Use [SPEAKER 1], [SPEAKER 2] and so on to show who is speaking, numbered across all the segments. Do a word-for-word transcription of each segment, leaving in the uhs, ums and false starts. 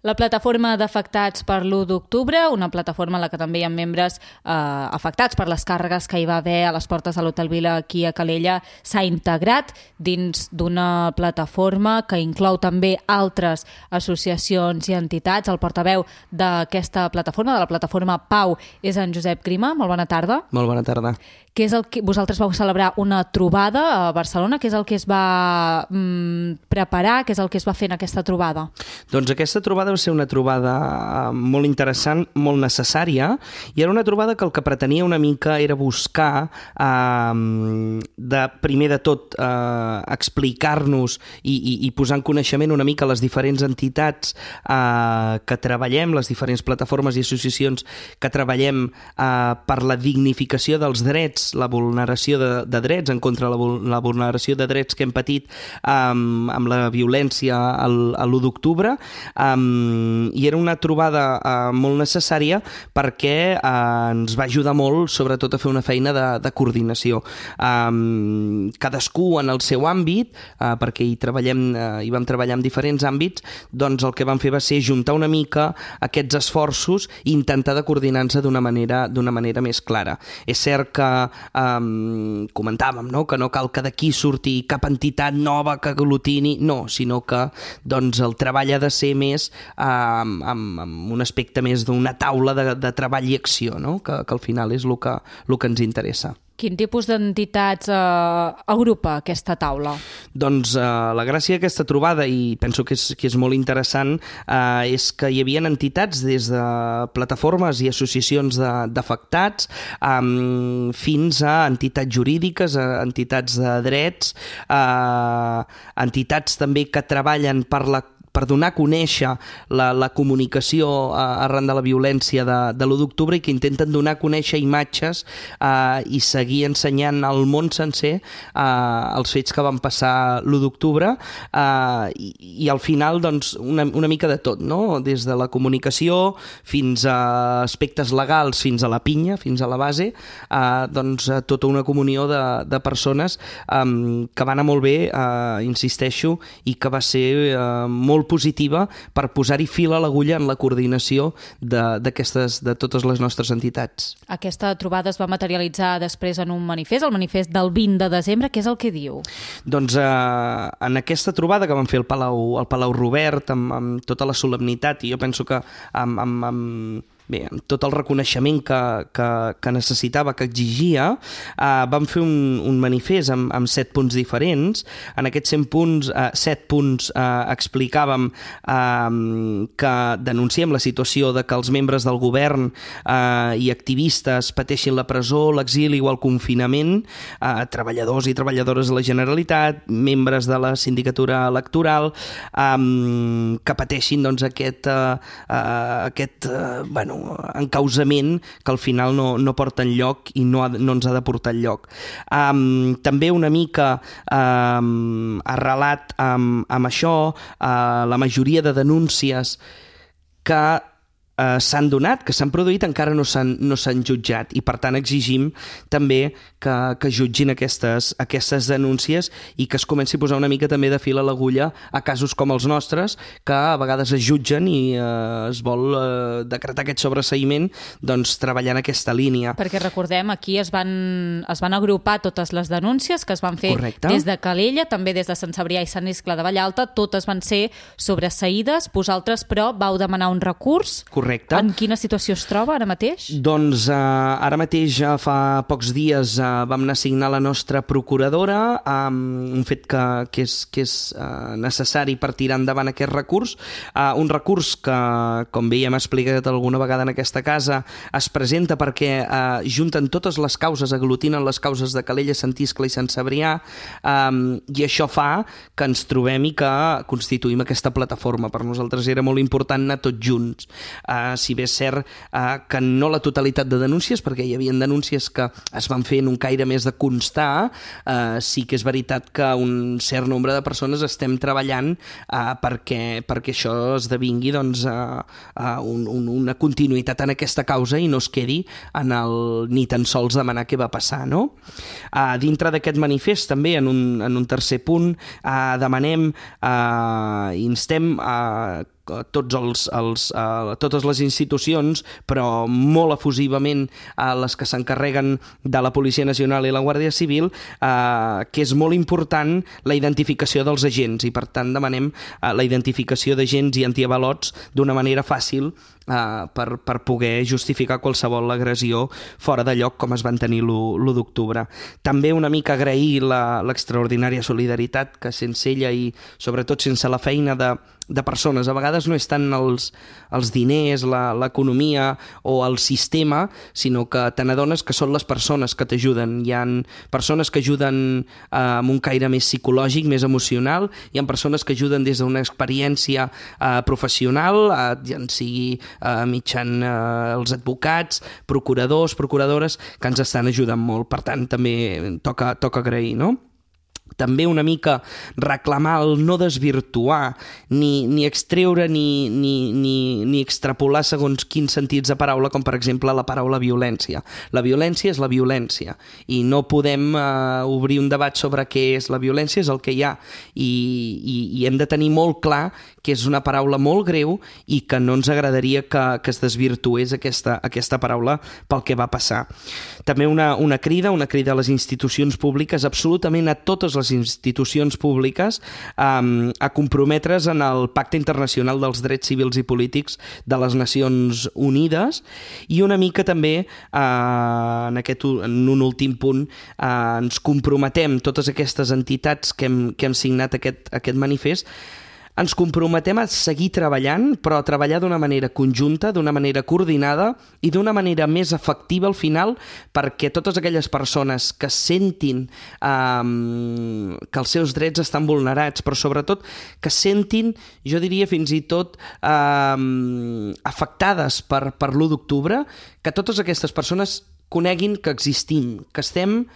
[SPEAKER 1] La plataforma d'afectats per l'u d'octubre, una plataforma en la que també hi ha membres eh, afectats per les càrregues que hi va haver a les portes de l'Hotel Vila aquí a Calella, s'ha integrat dins d'una plataforma que inclou també altres associacions i entitats. El portaveu d'aquesta plataforma, de la plataforma Pau, és en Josep Grima. Molt bona tarda.
[SPEAKER 2] Molt bona tarda.
[SPEAKER 1] Què és el que vosaltres vau celebrar una trobada a Barcelona? Què és el que es va mm, preparar? Què és el que es va fer en aquesta trobada?
[SPEAKER 2] Doncs aquesta trobada va ser una trobada molt interessant, molt necessària, i era una trobada que el que pretenia una mica era buscar, eh, de, primer de tot, eh, explicar-nos i, i, i posar en coneixement una mica les diferents entitats eh, que treballem, les diferents plataformes i associacions que treballem eh, per la dignificació dels drets, la vulneració de, de drets, en contra de la, la vulneració de drets que hem patit um, amb la violència al, a l'u d'octubre, um, i era una trobada uh, molt necessària perquè uh, ens va ajudar molt, sobretot a fer una feina de, de coordinació. Um, cadascú en el seu àmbit, uh, perquè hi, treballem, uh, hi vam treballar en diferents àmbits, doncs el que vam fer va ser juntar una mica aquests esforços i intentar de coordinar-se d'una manera, d'una manera més clara. És cert que Um, comentàvem, no? Que no cal que d'aquí surti cap entitat nova que aglutini, no, sinó que doncs, el treball ha de ser més um, amb, amb un aspecte més d'una taula de, de treball i acció, no? que, que al final és el que, el que ens interessa.
[SPEAKER 1] Quin tipus d'entitats eh, agrupa aquesta taula?
[SPEAKER 2] Doncs eh, la gràcia d'aquesta trobada, i penso que és, que és molt interessant, eh, és que hi havia entitats des de plataformes i associacions d'afectats eh, fins a entitats jurídiques, a entitats de drets, eh, entitats també que treballen per la per donar a conèixer la, la comunicació eh, arran de la violència de, de l'u d'octubre i que intenten donar a conèixer imatges eh, i seguir ensenyant al món sencer eh, els fets que van passar l'u d'octubre eh, i, i al final doncs, una, una mica de tot, no? Des de la comunicació fins a aspectes legals, fins a la pinya, fins a la base, eh, doncs tota una comunió de, de persones eh, que va anar molt bé, eh, insisteixo, i que va ser eh, molt positiva per posar-hi fil a l'agulla en la coordinació de, d'aquestes, de totes les nostres entitats.
[SPEAKER 1] Aquesta trobada es va materialitzar després en un manifest, el manifest del vint de desembre. Què és el que diu?
[SPEAKER 2] Doncs eh, en aquesta trobada que vam fer al Palau, al Palau Robert, amb, amb tota la solemnitat, i jo penso que amb, amb, amb bé, amb tot el reconeixement que, que, que necessitava, que exigia, eh, vam fer un, un manifest amb, amb set punts diferents. En aquests set punts, eh, set punts eh, explicàvem eh, que denunciem la situació de que els membres del govern eh, i activistes pateixin la presó, l'exili o el confinament, eh, treballadors i treballadores de la Generalitat, membres de la sindicatura electoral, eh, que pateixin doncs, aquest, eh, aquest eh, bueno, encausament que al final no, no porta enlloc i no, ha, no ens ha de portar enlloc. Um, també una mica um, arrelat amb, amb això, uh, la majoria de denúncies que eh, s'han donat, que s'han produït, encara no s'han, no s'han jutjat, i per tant exigim també que, que jutgin aquestes, aquestes denúncies i que es comenci a posar una mica també de fil a l'agulla a casos com els nostres, que a vegades es jutgen i eh, es vol eh, decretar aquest sobreseïment, doncs treballar en aquesta línia.
[SPEAKER 1] Perquè recordem, aquí es van, es van agrupar totes les denúncies que es van fer.
[SPEAKER 2] Correcte.
[SPEAKER 1] Des de Calella, també des de Sant Cebrià i Sant Iscle de Vallalta, totes van ser sobreseïdes. Vosaltres, però, vau demanar un recurs.
[SPEAKER 2] Correcte.
[SPEAKER 1] En quina situació es troba ara mateix?
[SPEAKER 2] Doncs eh, ara mateix, ja fa pocs dies, eh, vam anar a signar la nostra procuradora, eh, un fet que, que és, que és eh, necessari per tirar endavant aquest recurs. Eh, un recurs que, com bé ja hem explicat alguna vegada en aquesta casa, es presenta perquè eh, junten totes les causes, aglutinen les causes de Calella, Sant Iscle i Sant Cebrià, eh, i això fa que ens trobem i que constituïm aquesta plataforma. Per nosaltres era molt important anar tots junts. Eh, si bé és cert eh, que no la totalitat de denúncies, perquè hi havia denúncies que es van fer en un caire més de constar, eh, sí que és veritat que un cert nombre de persones estem treballant eh, perquè, perquè això esdevingui doncs, eh, eh, un, un, una continuïtat en aquesta causa i no es quedi en el, ni tan sols demanar què va passar, no? Eh, dintre d'aquest manifest també en un, en un tercer punt eh, demanem, eh, instem a eh, tots els, els, uh, totes les institucions, però molt efusivament a les que s'encarreguen de la Policia Nacional i la Guàrdia Civil, uh, que és molt important la identificació dels agents i per tant demanem uh, la identificació d'agents i antiavalots d'una manera fàcil uh, per, per poder justificar qualsevol agressió fora de lloc com es van tenir l'u d'octubre. També una mica agrair l'extraordinària solidaritat que sense ella i sobretot sense la feina de, de persones, a vegades no és tant els, els diners, l'economia o el sistema, sinó que te n'adones que són les persones que t'ajuden. Hi ha persones que ajuden eh, amb un caire més psicològic, més emocional, hi ha persones que ajuden des d'una experiència eh, professional, eh, ja en sigui eh, mitjan eh, els advocats, procuradors, procuradores, que ens estan ajudant molt. Per tant, també toca, toca agrair, no? També una mica reclamar el no desvirtuar, ni, ni extreure ni, ni, ni, ni extrapolar segons quins sentits de paraula, com per exemple la paraula violència. La violència és la violència i no podem uh, obrir un debat sobre què és la violència, és el que hi ha i, i, i hem de tenir molt clar que és una paraula molt greu i que no ens agradaria que, que es desvirtués aquesta, aquesta paraula pel que va passar. També una, una crida, una crida a les institucions públiques, absolutament a totes les institucions públiques, um, a comprometre's en el Pacte Internacional dels Drets Civils i Polítics de les Nacions Unides i una mica també, uh, en, aquest, en un últim punt, uh, ens comprometem, totes aquestes entitats que hem, que hem signat aquest, aquest manifest, ens comprometem a seguir treballant, però a treballar d'una manera conjunta, d'una manera coordinada i d'una manera més efectiva al final, perquè totes aquelles persones que sentin um, que els seus drets estan vulnerats, però sobretot que sentin, jo diria fins i tot um, afectades per, per l'u d'octubre, que totes aquestes persones coneguin que existim, que estem,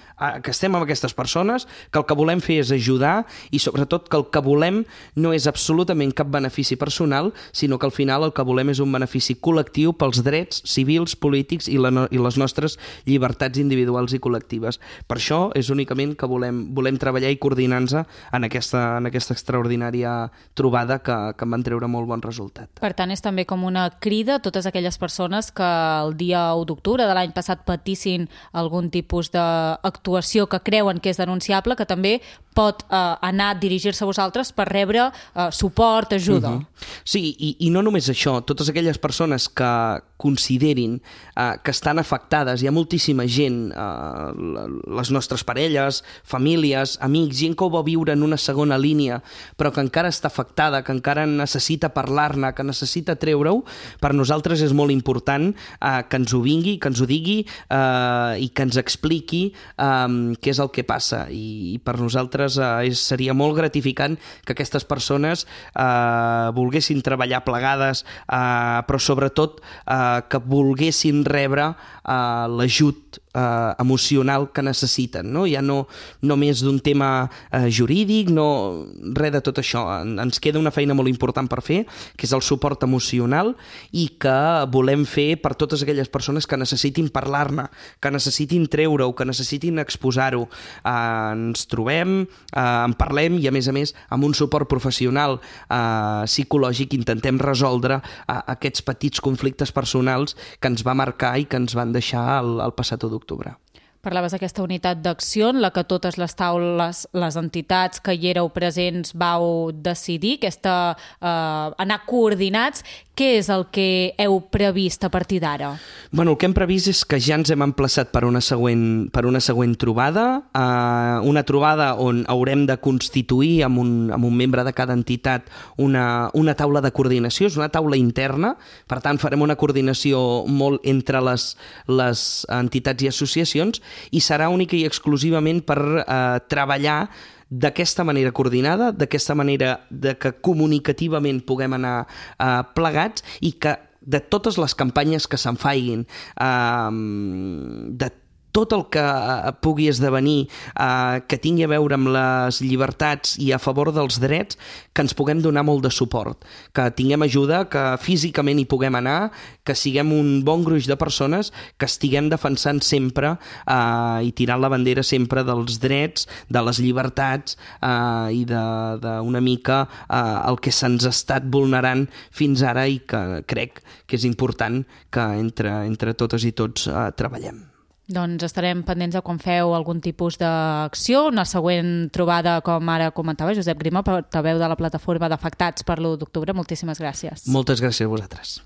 [SPEAKER 2] que estem amb aquestes persones, que el que volem fer és ajudar i sobretot que el que volem no és absolutament cap benefici personal, sinó que al final el que volem és un benefici col·lectiu pels drets civils, polítics i, la, i les nostres llibertats individuals i col·lectives. Per això és únicament que volem, volem treballar i coordinar-nos en aquesta, en aquesta extraordinària trobada que, que en van treure molt bon resultat.
[SPEAKER 1] Per tant, és també com una crida a totes aquelles persones que el dia u d'octubre de l'any passat patissin algun tipus d'actuació que creuen que és denunciable, que també pot eh, anar a dirigir-se a vosaltres per rebre eh, suport, ajuda.
[SPEAKER 2] Uh-huh. Sí, i, i no només això, totes aquelles persones que considerin eh, que estan afectades, hi ha moltíssima gent, eh, les nostres parelles, famílies, amics, gent que ho va viure en una segona línia, però que encara està afectada, que encara necessita parlar-ne, que necessita treure-ho, per nosaltres és molt important eh, que ens ho vingui, que ens ho digui eh, i que ens expliqui eh, què és el que passa. I, i per nosaltres eh, és, seria molt gratificant que aquestes persones eh, volguessin treballar plegades, eh, però sobretot eh, que volguessin rebre eh, l'ajut eh, emocional que necessiten, no? Ja no només d'un tema eh, jurídic, no res de tot això. En, ens queda una feina molt important per fer, que és el suport emocional i que volem fer per totes aquelles persones que necessitin parlar-ne, que necessitin treure-ho, que necessitin exposar-ho. Eh, ens trobem, eh, en parlem i a més a més amb un suport professional eh, psicològic intentem resoldre eh, aquests petits conflictes personals que ens va marcar i que ens van deixar el, el passat u d'octubre.
[SPEAKER 1] Parlaves d'aquesta unitat d'acció en la que totes les taules, les entitats que hi éreu presents vau decidir, aquesta, eh, anar coordinats. Què és el que heu previst a partir d'ara?
[SPEAKER 2] Bueno, el que hem previst és que ja ens hem emplaçat per una següent, per una següent trobada, eh, una trobada on haurem de constituir amb un, amb un membre de cada entitat una, una taula de coordinació, és una taula interna, per tant farem una coordinació molt entre les, les entitats i associacions i serà única i exclusivament per eh, treballar d'aquesta manera coordinada, d'aquesta manera de que comunicativament puguem anar eh, plegats i que de totes les campanyes que se'n faiguin, eh, de tot el que pugui esdevenir eh, que tingui a veure amb les llibertats i a favor dels drets, que ens puguem donar molt de suport, que tinguem ajuda, que físicament hi puguem anar, que siguem un bon gruix de persones que estiguem defensant sempre eh, i tirant la bandera sempre dels drets, de les llibertats eh, i d'una mica eh, el que se'ns ha estat vulnerant fins ara i que crec que és important que entre, entre totes i tots eh, treballem.
[SPEAKER 1] Doncs estarem pendents de quan feu algun tipus d'acció. Una següent trobada, com ara comentava Josep Grima, portaveu de la plataforma d'afectats per l'u d'octubre. Moltíssimes gràcies.
[SPEAKER 2] Moltes gràcies a vosaltres.